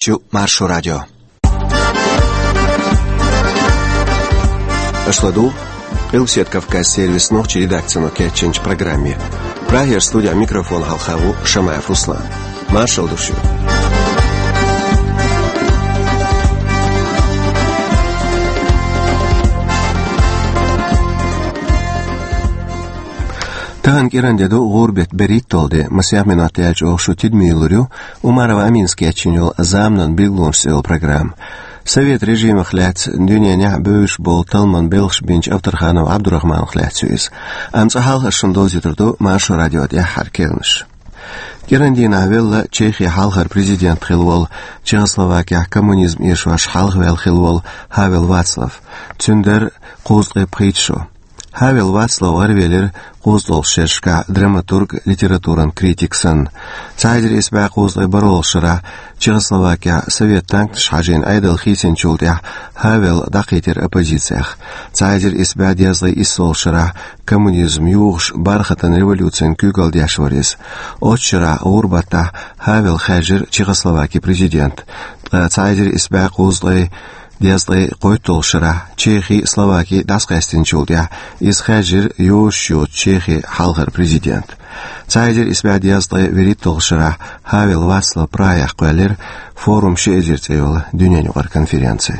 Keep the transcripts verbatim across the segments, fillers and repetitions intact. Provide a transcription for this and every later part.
Чу Маршо радио. Аша ладугӀу Къилбаседа Кавказан сервисан нохчийн редакцино кечйинчу программе. Прагера студехь микрофон хьалха ву Шамаев Руслан. Маршалла ду шуьга. Тахана кӀиран де ду, гӀуран беттан берхӀитталгӀа де, масех минот яьлча оха шу тидаме лур ю Умарова Аминас кечйина йолу «Заманан билгалонаш» цӀе йолу программа. Совет режимах лаьцна дуьненахь бевзаш болу талламан белхаш бинчу Авторханов Абдурахманах лаьцна ю иза. Амма цкъа хьалха ас шуна довзуьйтур ду Маршо радион тӀаьххьара керланаш. КӀиран дийнахь велла Чехин хьалхара президент хилла волу, Чехословакехь коммунизм эшош хьалхаваьлла хилла волу Хавел Вацлав. Цуьнан дара кхузткъе пхийтта шо. Хавел Вацлав гӀаравелира кхузткъалгӀачу шерашкахь драматург, литературан критик санна. Цхьа эзар исс бӀе кхузткъе бархӀалгӀачу шарахь Чехословакехь совет танкаш хьажийна Ӏедал хийцинчул тӀаьхьа Хавел дӀакхийтира оппозицех. Цхьа эзар исс бӀе дезткъе иссалгӀачу шарахь коммунизм юхуш бархӀ-бархӀитта революцин куьйгалла деш вара иза. Оццу шарахь гӀуран баттахь Хавел хаьржира Чехословакин президент. Ткъа цхьа эзар исс бӀе кхузткъе дезткъе кхойтталгӀачу шарахь Чехи а, Словаки а дӀасакъаьстинчул тӀаьхьа иза хаьржира йозуш йоцу Чехин хьалхара президент. Цхьа эзар исс бӀе дезткъе вуьрхӀитталгӀачу шарахь Хавел Вацлав Прагехь кхоьллира «Форум ши эзар» цӀе йолу дуьненаюкъара конференци.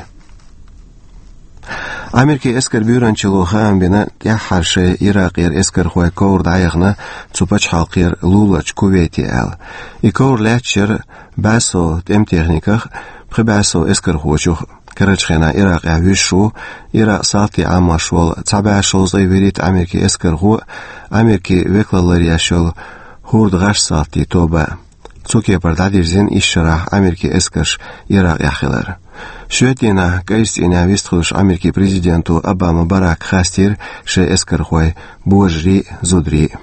Америкин эскаран буьйранчалло хаам бина, тӀаьххьара шайн Иракъера эскархойн ковра дӀаяхана цу пачхьалкхера луларчу Кувейте аьлла. И ковра лаьтташ яра бӀе сов тӀеман техниках, пхи бӀе сов эскархочух. Карарчу хенахь Иракъехь вуьсуш ву Иракъан салтийн Ӏамош волу цхьа бӀе шовзткъе вуьрхӀитта америкин эскархо а, Америкин векалалла еш йолу ХӀурдан гӀаш салтийн тоба а. Цу кепара дӀадирзина исс шарахь америкин эскарш Иракъехь хилар. Шоьтан дийнахь кӀайчу цӀийнехь вистхуьлуш Америкин президенто Обама Барака хастийра шайн эскархой божарий а, зударий а.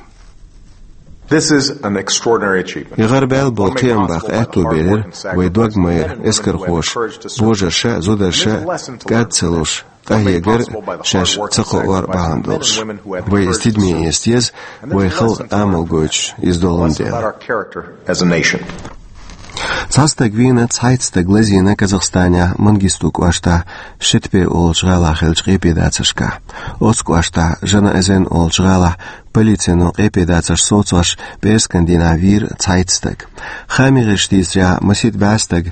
This is an extraordinary achievement. И гӀарабаьлла болу кхиам баккха аьтто белира вайн дог-майра эскархоша, божарша а, зударша а кӀад ца луш, къахьегар шаьш ца кхоор бахьана долуш. Вай иза тидаме эца деза, вайн халкъан амал гойтуш иза долун дела. Цхьа стаг вийна, цхьайтта стаг лазийна Казахстанехь Мангисту кӀоштахь Шитпе олучу гӀалахь хиллачу къепедацаршкахь. Оцу кӀоштахь Жанаэзен олучу гӀалахь полицино къепедацарш совцош пӀераскан дийнахь вийра цхьайтта стаг. Хаамийн гӀирсаша дийцарехь, масийтта бӀе стаг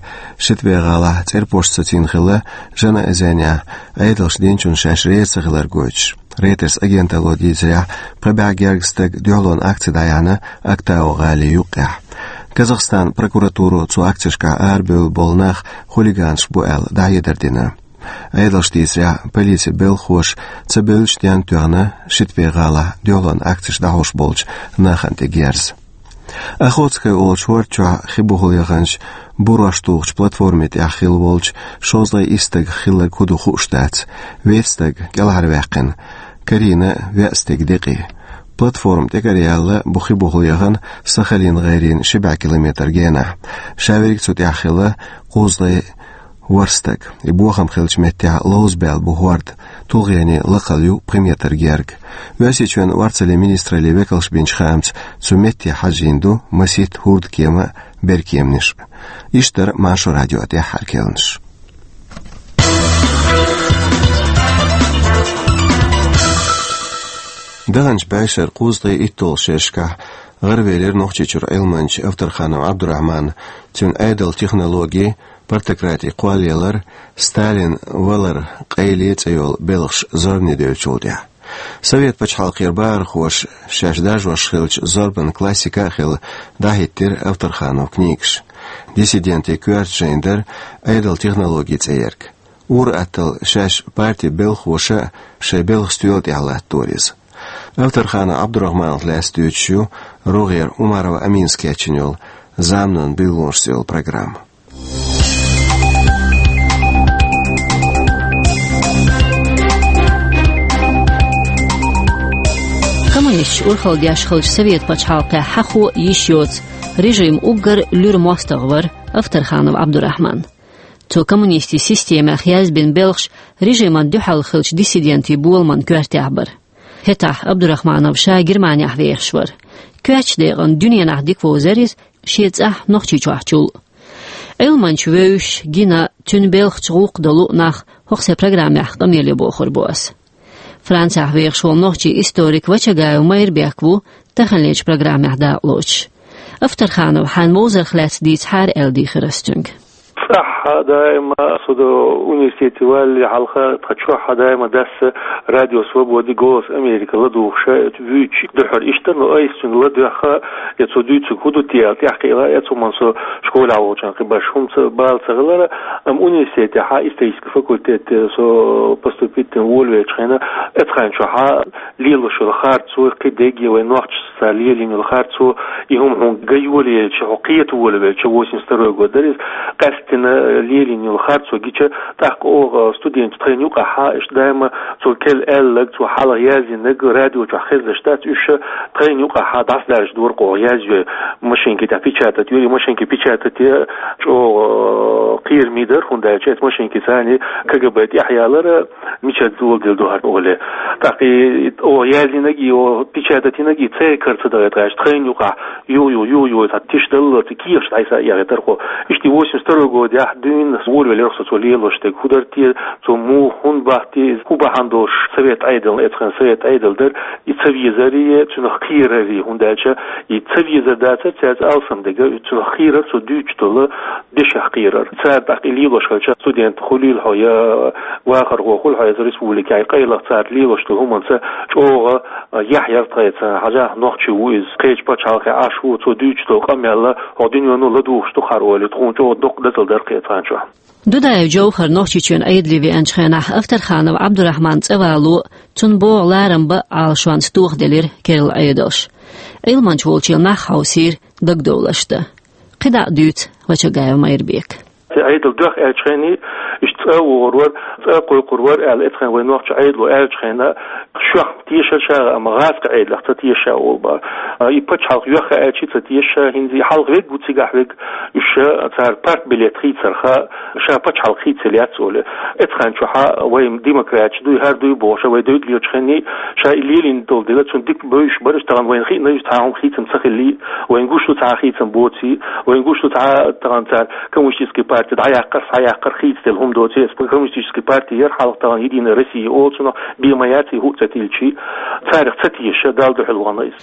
Шитпе гӀалахь цӀерпошца сацийна хилла Жанаэзенехь, Ӏедалша динчунна шаьш реза ца хилар гойтуш. Рейтерс агенталло дийцарехь, пхи бӀе гергга стаг дуьхьалонан акци дӀаяьхьна Актау гӀалин юккъехь. Казахстан прокуратуро цу акцешкахь арабевлла болу нах хулиганаш бу аьлла дӀахьедар дина. Ӏедалша дийцарехь, полицин белхахоша ца бевллачу денна тоьхна Шитпе гӀалахь дуьхьалонан акцеш дӀахьош болчу нахана тӀе герз. Охотское олучу хӀорда чохь хи бухахь яханчу бурош тухучу платформи тӀехь хилла волчу шовзткъе исс стагах хилларг хӀун ду хууш дац. Вейтта стаг кӀелхьарваьккхина, карийна веа стеган декъий. Платформа тӀекӀараяьлла бу хи бухахь яхана Сахалин гӀайренна ши бӀе километр генахь. Ша верг цу тӀехь хилла кхузткъе ворхӀ стаг. И бохам хиллачу меттехь ловзабаьлла бу хӀорда, тулгӀенийн лакхалла ю пхи метр герга. Оьрсийчоьнан орцаллин министраллин векалша бинчу хаамца, цу метте хьажийна ду масийтта хӀурдан кема а, беркеманаш а. Иштта дара Маршо радион тӀаьххьара керланаш. Даханчу бӀешеран кхузткъе итталгӀачу шерашкахь гӀаравелира Нохчийчуьра Ӏилманча Авторханов Ӏабдурахьман. Цуьнан Ӏедалан технологи, партократин кхоллаялар, Сталин валар къайле цӀе йолу белхаш зорбане девллачул тӀаьхьа. Совет пачхьалкхера бахархоша шаьш даржош хиллачу зорбанан классика а хилла дӀахӀиттира Авторхановн книгаш. «Диссидентийн коьрта жайна» дара Ӏедалан технологи цӀе ерг. Ур-атталла шаьш партин белхахоша а шайн белхан стоьла тӀехь латтадора иза. Авторханов Ӏабдурахьманах лаьцна дуьйцуш ю рогӀера Умарова Аминас кечйина йолу «Заманан билгалонаш» цӀе йолу программа. Коммунисташ урхалла деш хиллачу Совет пачхьалкхехь хьахо а, йиш йоцу, режим уггар луьра мостагӀа вара Авторханов Ӏабдурахьман. Цо коммунистийн системех язбина белхаш режимна дуьхьал хиллачу диссидентийн боламан коьртехь бара. ХӀетахь Абдурахманов ша Германехь вехаш вара. Коьртачу декъана дуьненахь дика вовзара иза, шен цӀахь Нохчийчохьчул а. Ӏилманча вевзаш, гина, цуьнан белхаш гӀуллакх долу нах хӀокху сайн программехь къамеле бохур бу ас. Францехь вехаш волу нохчийн историк Вачагаев Майрбек ву таханлерчу программехь дакъалоцуш. Автарханов, хьайна вовзарх лаьцна дийцахьара аьлла дийхира ас цуьнга. Цкъа а даима со до университете валлале хьалха, тхан чохь а даима дас Радио Свобода, Голос Америки ладугӀуш вуьйцуш дуьхьал иштта, но айса цуьнан ладоьгӀна, я цо дуьйцург хӀун ду те аьлла, тӀаьхьакхиъна, я цо хӀуманна со школехь волчохь кхин башха хӀума ца, бала ца хилира, амма университетехь, исторический факультете со поступить дина волавеллачу хенахь, эцхьан чохь лелош йолу харцо, кхидерг, вайн нохчашца лелийна йолу харцо, и хӀума хьуна ган йолаелча, хьо кхета волавелча, восемьдесят второй год дара иза, къаьсттина лелийна йолу харцо гича, тӀаккха оха студенташ тхайна юкъахь, иштта даима цо керла аьлларг, цо хьалха яздинарг радио чохь хезнаш дац, уьш тхайна юкъахь дӀасадаржадора, оха язйо, машинки тӀехь печатать йора, и машинки печатате чӀогӀа кхераме дара, хӀунда аьлча эцу машинкица царна КГБ тӀехь ялара, мичара доладелла ду хӀара олий. ТӀаккха и, и оха яздинарг, и оха печатать йинарг, и церан кара ца дахийтахь, тхайна юкъахь юха-юха, юха-юха, цхьа тиша даллалц, и кехаташ дӀасаэхьийтара хьо. Иштта восемьдесят второй годехь дуьйна волавелира со цо лелош дерг. ХӀун дара те, цо муха, хӀунда баха те, хӀун бахьана долуш совет Ӏедална, эцхьан совет Ӏедал дара, и ца везаре, цунах кхераре, хӀунда аьлча и ца везар дацара цаьрца алсам дерг, цунах кхерара цо дуьйцуш долу дешех кхерара. Цара тӀаккха и лелош хилча, студент хуьлийла хьо, я вахархо хуьлу хьо, я республикехь къайлаха цара лелош долу хӀуманца чӀогӀа яхь яра тхайца, хьажахь, нохчи ву иза, кхечу пачхьалкхехь Ӏаш ву, цо дуьйцуш долу къамел хӀокху дуьнено ладугӀуш ду хӀара олий, тхуна чӀогӀа доккха дацал дара кхечу хенахь чохь. Дудаев Джовхар Нохчийчоьнан Ӏедале веанчу хенахь Автарханов Ӏабдурахьманан цӀа вало, цунна богӀу ларам бан а Ӏалашонца тохаделира керла Ӏедалш. Ӏилманча волчу нах хьовсийра дагадовларш дан. КхидӀа а дуьйцу Вачагаев Майрбека. Ӏедал доьхна аьллачу хенахь, иштта цӀа а вогӀур вара, цӀа а кхойкхур вара аьлла, эцхьан вайн нохчийн Ӏедало аьллачу хенахь, шох тешара ша, амма гӀазкхийн Ӏедалех ца теша ша олу бара. И пачхьалкх йоьхна аьлча ца теша ша, хӀинца и хьалха верг ву, цигахь верг, уьш цара партбилет хийцарх, ша пачхьалкх хийцаелла яц олий. Эцхьан чохь вайн демократаш дуй, хӀара дуй бохуш, вай девдалечу хенахь, ша и лелийна долу дела, цунна дика бевзаш бара, тахана вайна хиъна иза цхьа хӀума хийцам ца хиллий, вайна гуш ду цхьа хийцам боций, вайна гуш ду цхьа тахана цара коммунистическая партия дӀаяккхар, схьаяккхар, хийцаделла хӀума доций, эс коммунистическая партия яра хьалха, тахана Единая Россия олу цунах, бен ма яций хӀуъа ца тилличий, царах ца теша, Далла дуьхьал вахана иза.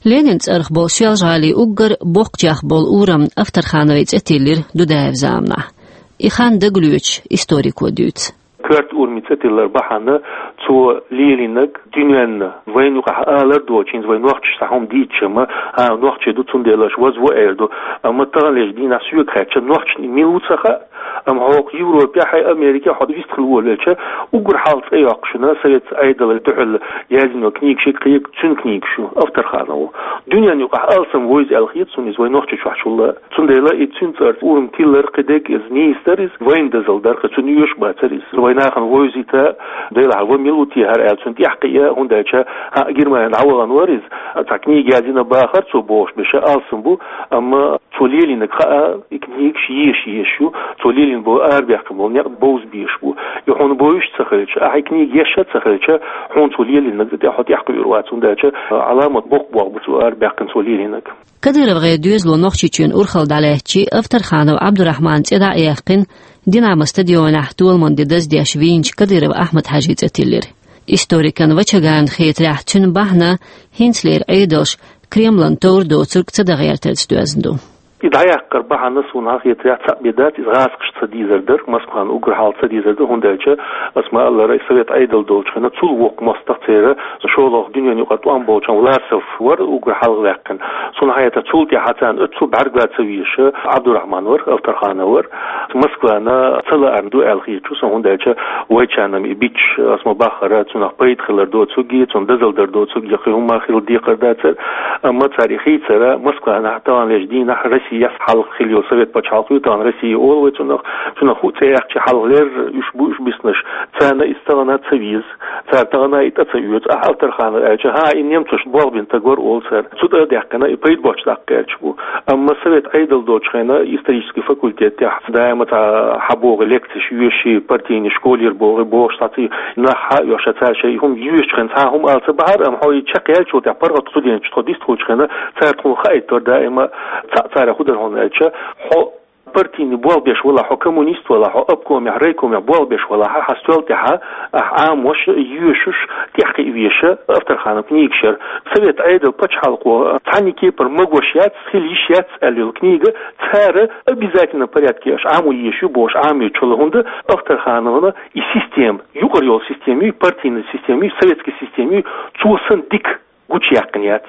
Ленинан цӀарах болу Соьлжа-ГӀалин уггар боккхачех болу урам Автархановн цӀе тиллира Дудаевн заманахь. И хан дагалоьцуш историко дуьйцу. Коьрта ураман цӀе тиллар бахьана цо лелийнарг дуьненна, вайна юкъахь алар доцуш, хӀинца вай нохчаша цхьа хӀума дийцча-м, а, нохчий ду, цундела аша вазву эр ду. Амма таханлерчу дийнахь соьга хаьттича, нохчашна мила ву ца хаьа, амма хӀокху Европехь, Америкехь хьо вистхила волавелча, уггар хьалха цӀе йоккхуш йолу совет Ӏедална дуьхьал яздина книгаш, кхин цуьнан книгаш ю, Автархановн. Дуьненна юкъахь алсам вевза аьлла хета суна иза вайн Нохчийчохь чулла. Цундела и цуьнан цӀарах урам тиллар, кхидерг иза нийса дара иза, вайна дазалла дара, кхин цуьнан оьшуш бацара иза. Вайн нахана вевзийта, делахь, ва мила ву те хӀара аьлла, цунна тӀаьхьакхиа, хӀунда аьлча, хӀаъ, Германина дӀавахана вара иза, цхьа книга яздина бахара цо бохуш берш алсам бу, амма цо лелийнарг хаа, и книгаш езаш езаш ю, цо лелийна болу, арабаьккхина болу некъ бовза безаш бу. И хьуна бовзуш ца хилча, ахьа и книга езаш ца хилча, хьуна цо лелийнарг тӀе хьо тӀаьхьакхуьур вац, хӀунда аьлча Ӏаламат боккха болх бу цо арабаьккхина, цо лелийнарг. КадыровгӀеран доьзало Нохчийчоьнан урхалла дӀалаьцча, Автарханов Ӏабдурахьманан цӀе дӀа а яьккхина, Динамо стадионехь толаман де даздеш вийначу Кадыров Ахьмад-Хьаьжин цӀе тиллира. Историкана Вачагаевна хетарехь, цуьнан бахьана хӀинцалера Ӏедалш Кремлана товр доцург ца дан гӀертарца доьзна ду. И дӀаяккхар бахьана суна хетарехь цхьаъ бен дац, иза гӀазкхаша ца дезар дара, Москвана уггар хьалха ца дезар дара, хӀунда аьлча, аса ма-аллара, и совет Ӏедал долчу хенахь цул воккха мостагӀа церан, шолгӀа дуьненан юкъара тӀом болчу Власов вара уггар хьалха ваьккхина. Суна хетарехь, цул тӀаьхьа царна оццул бӀаьрга ца везаш Ӏабдурахьман вара, Автарханов вара. Москвана ца лаарна ду аьлла хеташ ву сан, хӀунда аьлча вайчарна и бича, аса ма-баххара, цунах пайда хилар доцург, цунна дазалла дар доцург, я кхин хӀумма хила декхар дацара. Амма цара и хийцар Москванахь, таханлерчу дийнахь Россияс хьалха хилла йолу совет пачхьалкх ю, тахана Россия олу вай цунах, цунах хӀуъа цӀе яьккхича хьалхалера уьш бу уьш биснарш, царна иза тахана ца веза. Цара тахана и тӀе ца оьцу, ахьа Автарханов аьлча, хӀа, и немцошна болх бина стаг вара олу цара. Цу тӀе а даьккхина, и пайда боцчу даккха гӀерташ бу. Амма совет Ӏедал долчу хенахь исторический факультет тӀехь даима цхьа хьан богӀу лекцеш йоьший, партийный школера богӀу, бохуш цхьацца нах хьа а оьхуш, цара шайн хӀума йоьшучу хенахь цхьа хӀума ала ца бахьара, амма хьо и чекхъяьллачул тӀехь паргӀат студенташ тхо дистхуьлучу хенахь, цара тхуна хаийтар даима цхьаъ царах хӀун дара хьуна аьлча, хьо Партийный болх беш валахь хьо, коммунист валахь хьо, обкомехь, райкомехь болх беш валахь хьо, хьан стоьла тӀехь ахь Ӏамош, йоьшуш, тӀехь кхиъна веш Авторхановн книгаш яр. Совет Ӏедал, пачхьалкхо цхьанне кепара магош яц, хила йиш яц аьлла йолу книга, цара обязательно порядке аша Ӏамо езаш ю бохуш Ӏамийча хӀума, хӀунда Авторхановна и система, юкъара йолу система ю, партийная система ю, советская система ю, цо санна дика гучуяьккхина яц.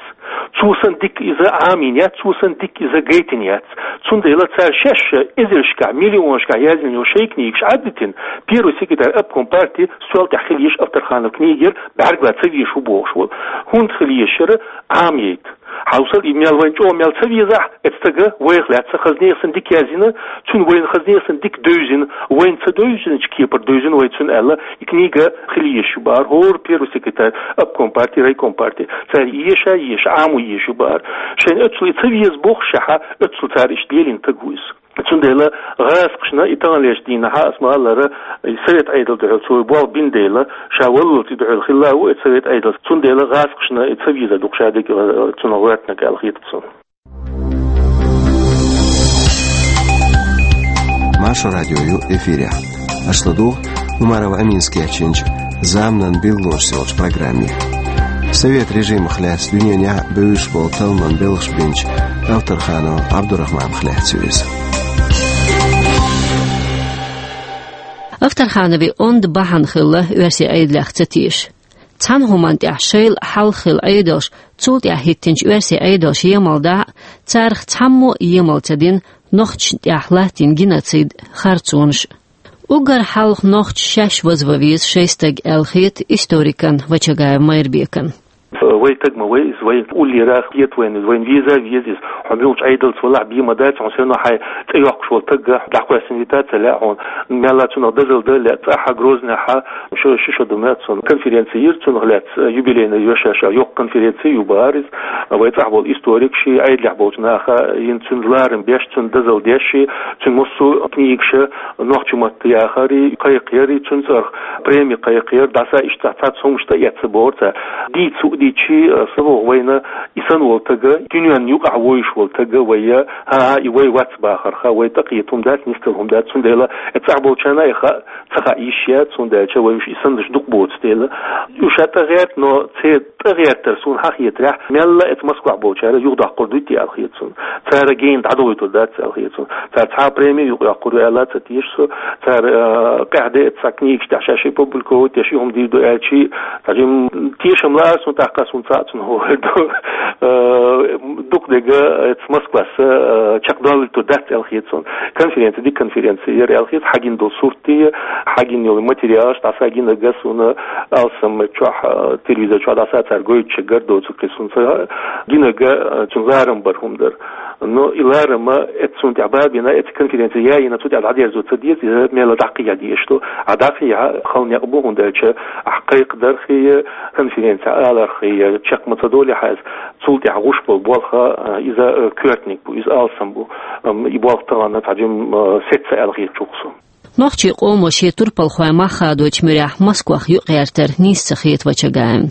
Цо санна дика иза Ӏамийна яц, цо санна дика иза гайтина яц. Цундела цара шаьш эзаршкахь, миллионашкахь яздина йолу шайн книгаш Ӏадитина, первый секретарь обком партии стоьла тӀехь хила езаш Авторхановн книга яр, бӀаьрга ца везаш ву бохуш волу. ХӀунда хила езаш яра? Ӏамийта. Хьовсал, и мел вайна чӀогӀа мел ца везахь, эцу стага вайх лаьцна хазне санна дика яздина, цуьнан вайна хазне санна дика девзина, вайна ца девзинчу кепара девзина вай цуьнан аьлла, и книга хила езаш ю бахара хӀора первый секретарь обком партии, райком партии. Цара еша, еша, Ӏамо езаш ю бахара. Шайна оццул и ца веза бохуш шаьхьа, оццул цара иштта лелийна стаг ву иза. Цундела гӀазкхашна и таханлерчу дийнахьа, ас ма-аллара, и Совет Ӏедал дуьхьал цо болх бина дела, ша валлалц и дуьхьал хилла а ву и Совет Ӏедал. Цундела гӀазкхашна и ца везар ду-кх ша дерг, э, цунах гӀоьртинарг аьлла хета суна. Маршо радио ю эфирехь. Аша ладугӀу Умаров Аминас кечйинчу «Заманан билгалонаш» йолчу программе. Совет режимах лаьцна дуьненахь а бевзаш болу талламан белхаш бинчу Авторханов Ӏабдурахманах лаьцна ю иза. Авторхановн онда бахьана хилла оьрсийн Ӏедалех ца теша. Цхьана хӀуманна тӀехь шайла хьалха хилла Ӏедалш, цул тӀаьхьа хӀиттинчу оьрсийн Ӏедалш емал дахь а, царах цхьаммо а емал ца дина нохчашна тӀехь латтийна геноцид, харцонаш. Уггар хьалха нохчаша шаьш вазван веза шайн стаг аьлла хета историкан Вачагаев Майрбекан. Вай стаг ма вай иза, вай уллера хета вайна иза, вайна веза а веза иза. Хьо муьлхачу Ӏедалца валахь а, бен ма дац, хьуна сено хьайн цӀе йоккхуш волу стаг дӀакхоьссина вита а ца лаьа хьуна. Мелла цунах дозалла дан а лаьа, цӀахь а, Грозныхь а, шо, ши шо ду ма цунна, конференци йира цунах лаьцна, юбилейный йоьшуш йолу йоккха конференци а ю бахара иза. Вай цӀахь болу историкаша, Ӏедалехь болчу наха йина цуьнан ларам беш, цунна дозалла деш, цуьнан массо а книгаш, нохчийн матта яхар а кхайкхаяр а, цуьнан цӀарах преми кхайкхаяр, дӀаса иштта цхьацца хӀумнаш тӀеэцна бохура цара. Дийца хӀуъа дийцича, сан боху, вайна и санна волу стаг, дуьненна юкъахь вовзаш волу стаг вай, хӀан-хӀа, и вай вац бахарх, вай тӀекхета хӀума дац, нисдала хӀума дац, цундела и цӀахь болчарна а и хаа ца хаа йиш яц, цундела аьлча вай уьш и саннарш дукха боцу дела. Уьш а тӀегӀерта, но церан тӀегӀертар суна хьан хетарехь, мелла а эцу Москвахь болчара юхадоккхур дуй те аьлла хета суна. Цара гена дӀадохуьйтур дац аьлла хета суна. Цара цхьа а преми юкъайоккхур ю аьлла а ца теша со. Цара, э, къаьхьа де эцу цхьа книгаш тӀехь шаьш публиковать деш, и хӀума дийр ду аьлча, цхьа жим тешам лаара суна, тӀаккха суна цхьаъ цунах хӀун хир ду. Э, дукха дерг эцу Москвас, э, чекхдовлийтур дац аьлла хета суна. Конференци, дика конференци яра аьлла хета, хьагина долу сурт а, хьагина йолу материалаш дӀаса гинарг а суна, алсам чохь, э, телевизор чохь дӀаса цара гойтуш гар доцург кхин суна ца гинарг а, э, цуьнан ларам бар хӀума дара. Но и ларам а эцу цунна тӀехь бабина, эцу конференци яйина, цу тӀехь дӀадерзо ца деза, иза мелла дӀакхехьа дезаш ду. А дӀакхехьа хала некъ бу, хӀунда аьлча ахь кхайкхадарх а, конференцехь аларх а чекх ма ца долу хьайза, цул тӀехь гӀуш болу болх а, иза, э, коьртаниг бу, иза алсам бу. Ам, и болх тахана цхьа жим, э, сецца аьлла хета чухсо. Нохчийн къомо шен турпалхойн мах хадочу муьрехь Москвах юкъаертар нийса ца хета Вачагаевна.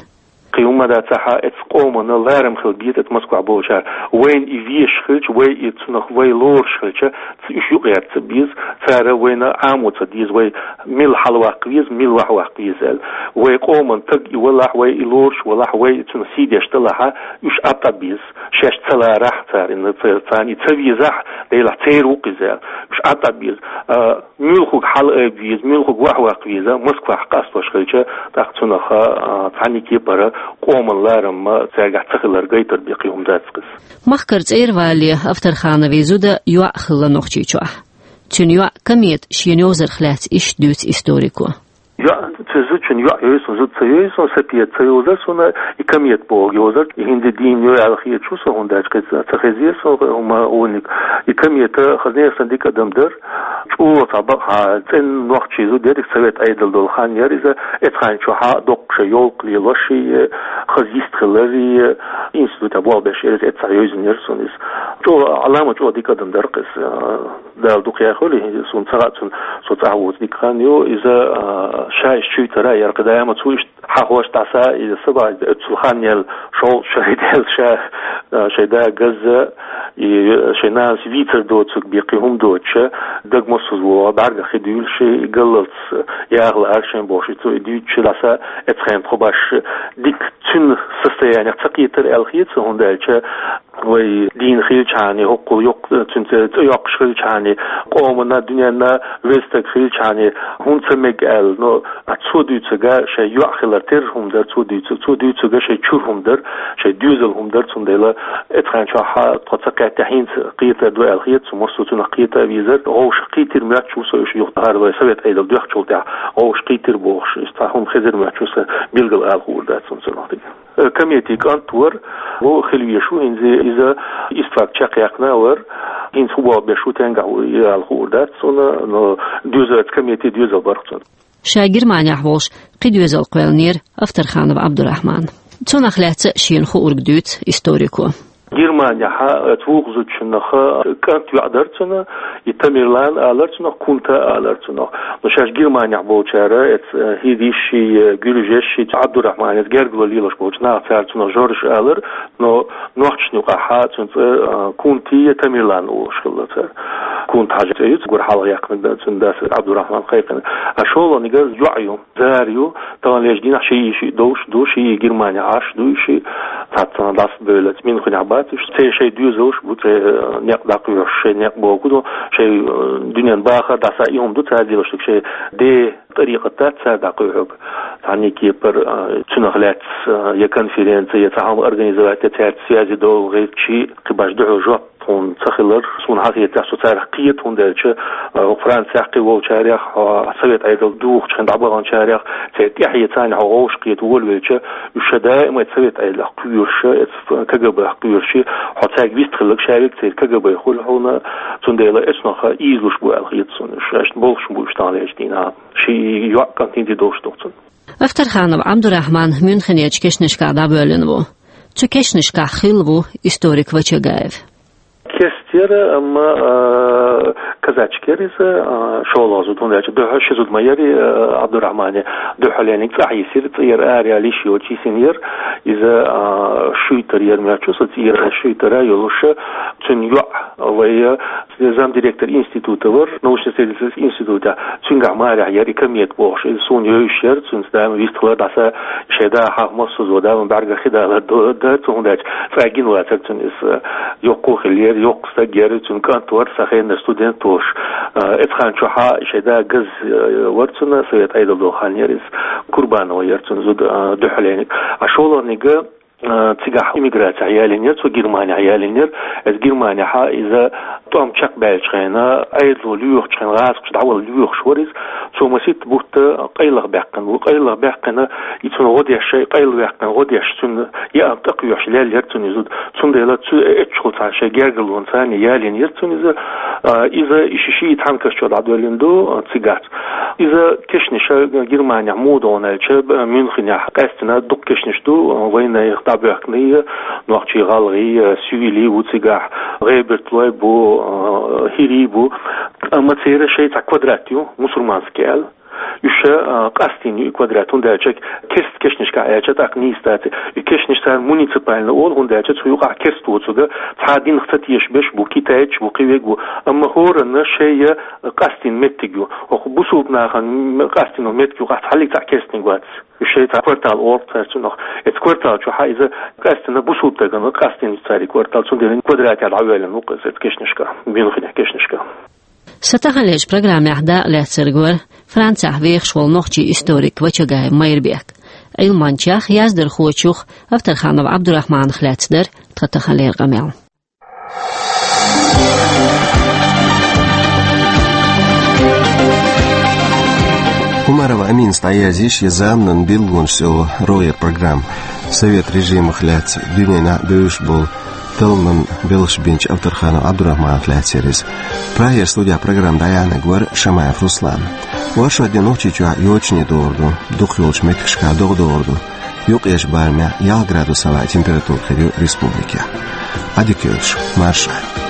Кхин хӀумма дацахь, эцу къомана ларам хила беза эцу Москвахь болчара. Вайна и везаш хилча, вай и цунах вай лоруш хилча, ц-, уьш юкъаерца беза, цара вайна Ӏамо ца деза, вай мила хьалаваккха веза, мила вахьаваккха веза аьлла. Вай къоман стаг и валахь, вай и лоруш валахь, вай и цунах сий деш далахь, уьш Ӏад-Ӏад беза. Шаьш ца ларахь царна, ца-, царна и ца везахь, делахь церан ву-кх иза аьлла. Уьш Ӏад-Ӏад беза. А, муьлхарг хьала айба веза, муьлхарг вахьаваккха веза, Москвахь къастош хилча, тӀаккха цунах, а, цхьанне кепара къоман ларам цаьргахь ца хилар гайтар бен кхин хӀума дац-кх иза. Махкара цӀера валале Авторхановн зуда йоӀ хилла Нохчийчохь. Цуьнан йоӀ Комета шена йовзарх лаьцна иштта дуьйцу историко. ЙоӀ, цу зудчун йоӀ йовза суна, зуда ца йовза суна, Сапеда ца йовзара суна, и Комета бохург йовзара, и хӀинца дийна йо аьлла хеташ ву со, хӀунда аьлча кхин ца хезира со хӀума гӀуллиг. И Комета хазне санна дика адам дара, чӀогӀа цхьа бакъахьа цӀена нохчи зуда яра, Совет Ӏедал долу хан яра иза, эцу хан чохь доккха шайн йовлакх лелош а, хаза йист хилар а, институтехь болх беш яра иза, эццахь йовзина яра суна иза. ЧӀогӀа, Ӏалама чӀогӀа дика адам дара-кх иза. Дала дукха яхийла, суна ца хаьа цунна, со цӀахь воцу дика хан ю. Иза, а, ша иштта чуьйтара яра, кхидӀа а ма цо иштта хьахош дӀаса, иза са бахьа, иза оццул хан яьлла, шовзткъа шо даьлла ша, а, шайн да газза, И шайн нанас вийцар доцург бен кхы хӀума доцуш, даг массаза вогӀу, бӀаьргах хи дуьйлуш, и галлалц яха лаьара шайн бохуш, цо и дуьйцуш, дӀаса эцхьан тхо баш дика цуьнан состояниях ца кхетар аьлла хета суна, хӀунда аьлча вай дийна хилчхьана, хӀокхул йоккха, цуьнца цӀе йоккхуш хилчхьана, къомана, дуьненна веза стаг хилчхьана, хӀунда ца мега аьлла, но а цо дуьйцург шайн йоӀ хилар терра хӀума дара, цо дуьйцург, цо дуьйцург шайн чура хӀума дара, шайн доьзал хӀума дара, цундела эцхьан чохь тхо ца кхетта хӀинца кхетар ду аьлла хета суна, массо а цунах кхета а везара, вовшах кхийтира моьттуш ву со уьш юха, хӀара вай Совет Ӏедал доьхначул тӀаьхьа вовшах кхийтира бохуш, иза цхьа хӀума хезира моьттуш ву сан билггал ала хуур дац суна цунах дика. Э, кометин кӀант вара, вон хила везаш ву, хӀинца иза истфак чекхъяьккхина а вара, хӀинца хӀун боху беш ву, тенгахь ву, и ала хуур дац суна, но доьзалца кометин доьзал бара цуьнан. Ша Германехь волуш кхин доьзал кхоьллинера Авторханов Абдурахмана. Цунах лаьцна шена хуург дуьйцу историко. Германехь оцу вукху зудчунах кӀант-йоӀ дара цуьнан, и Тамерлан алара цунах, Кунта алара цунах. Но шаьш Германехь болчара, эца, э, хӀирийш а, гуьржеш а, Абдурахманца гергарло лелош болчу наха, цара цунах Жорж алара, но нохчашна юкъахь цуьнан цӀе, э, Кунта я Тамерлан олуш хилла цара. Кунта-Хьаьжа цӀе ю цуьнан, гур хьалха яьккхина цуьнан дас Абдурахман кхайкхина. А шолгӀаниг йоӀ ю, Зара ю, таханлерчу дийнахь шиъ а шиъ долуш ду, шиъ а Германехь Ӏаш ду, шиъ цхьацца дӀасабевлла Мюнхенехь бац уьш. Церан шайн доьзалш бу, церан, э, некъ дӀакхоьхьуш, шайн некъ бохург ду, шайн, э, дуьненан бахар дӀаса и хӀума ду цара деллаш, шайн ден тӀарикъат дац цара дӀакхоьхьург. Цхьанне кепара, э, цунах лаьцна, э, я конференци, я цхьа хӀума организовать, я цаьрца связи долу гӀиртчий, кхин баш дуьхьал жоп тхуна ца хилар, суна хьан хетарехь, со царах кхета, хӀунда аьлча, э, Францехь кхин волчарех, хьо Совет Ӏедал духучу хенахь дӀабаханчарех, церан тӀаьхье царна хьо вовшах кхета волавелча, уьш ша даима Совет Ӏедалех кхоьруш, эцу КГБ-х кхоьруш, хьо цаьрга вист хилларг ша верг церан КГБ хуьлу хьуна, цундела эцунах ийзалуш бу аьлла хета суна уьш, шаьш болуш бу уьш таханлерчу дийнахь. Ши йоӀ кӀантий долуш ду цунна. Авторханов Абдурахман Мюнхенерчу кешнашкахь дӀабоьллина ву. Цу кешнашкахь хилла ву историк Вачагаев. Керста яра, амма, а, казачка яра иза, а, шолгӀа зуда, хӀунда аьлча дуьххьал ши зуда ма яра, а, Абдурахмане, дуьххьалниг цӀахь йисира, цӀера ара яла йиш йоцуш йисина яра иза, а, Шуьйтара яра моьттуш ву со, цӀера Шуьйтара йолуш, цуьнан йоӀ вай, а, замдиректор института вара, научно-исследовательский института, цуьнгахь марехь яра и Комета бохуш, иза суна йовзуш яра, цуьнца даима вист хилар, дӀаса шайн да хьаха массо а зуда, даима бӀаьргах хи далар ду-, дара цо, хӀунда аьлча цкъа гина вацара цуьнан иза, йоккха а хиллера, йоккха стаг яра, цуьнан кӀант вара, сан хеннара студент волуш. Эцу хан чохь шайн да газа, э, вара цуьнан, Совет Ӏедал долу хан яра иза, Курбанова яра цуьнан зуда, э, дуьххьалниг. А шолгӀаниг, э, цигахь эмиграцехь ялийнера, цо Германехь ялийнера. Эцу Германехь иза тӀом чекхбаьллачу хенахь, Ӏедало лоьхучу хенахь, гӀазакхаша дӀавала лоьхуш вара иза. Цо масийтта бутт къайлаха баьккхина ву. Къайлаха баьккхина, и цунна гӀо деш, шайн къайла ваьккхина гӀо деш, цуьнан яа тӀекхоьхьуш лелла яра цуьнан и зуда. Цундела цу эццахула цхьана шайн гергарлонца ялийнера цуьнан иза. А, иза и ши-шийтта хьанкаш чохь дӀадоьллина ду, а, цигахь. Иза кешнаш Германехь муха ду аьлча, Мюнхенехь къаьстина дукха кешнаш ду, а, вайнах дӀабоьхкина, нохчий, гӀалгӀай, а, суьйли ву цигахь, гӀебарталой бу, а, хӀирий бу. Амма церан шайн цхьа квадрат ю, мусульманский аьлла. Уьш, а, къастийна ю и квадрат, хӀунда аьлча керста кешнашкахь аьлча тӀаккха нийса дац. И кешнаш цара муниципальный олу, хӀунда аьлча цу юкъахь керста воцург цхьа динах ца тешаш берш бу, китайцаш бу, кхин верг бу. Амма хӀоранна шайн къастийна меттиг ю. ХӀокху бусулба нахана м-, къастийна меттиг юкъахь цхьаллиг цхьа керстаниг вац. Уьш шайн цхьа квартал олу цара цунах. Эцу квартал чохь иза къаьстина бусулба стагана къастийна цара и квартал, цундела квадратехь дӀавоьллина ву-кх иза эцу кешнашкахь, Мюнхенехь кешнашкахь. Сан таханлерчу программехь дакъа лаьцнарг вара Францехь вехаш волу нохчийн историк Вачагаев Майрбек. Ӏилманчех, яздархочух Авторханов Ӏабдурахьманах лаьцна дара тхан таханлера къамел. Умарова Аминас дӀаяздеш я заманан билгалонаш цӀе йолу рогӀера программа. Совет режимах лаьцна дуьненахь бевзаш болу талламан белхаш бинчу Авторханов Ӏабдурахьманах лаьцна яра иза. Прагера студехь программа дӀаяьхьнарг вара Шамаев Руслан. Оршотден Нохчийчохь йочане догӀур ду, дукхахйолчу меттигашкахь догӀа догӀур ду. Юккъерчу барамехь ялх градус хьалха температура хир ю республикехь. Ӏадика йойла шун, марша Ӏойла.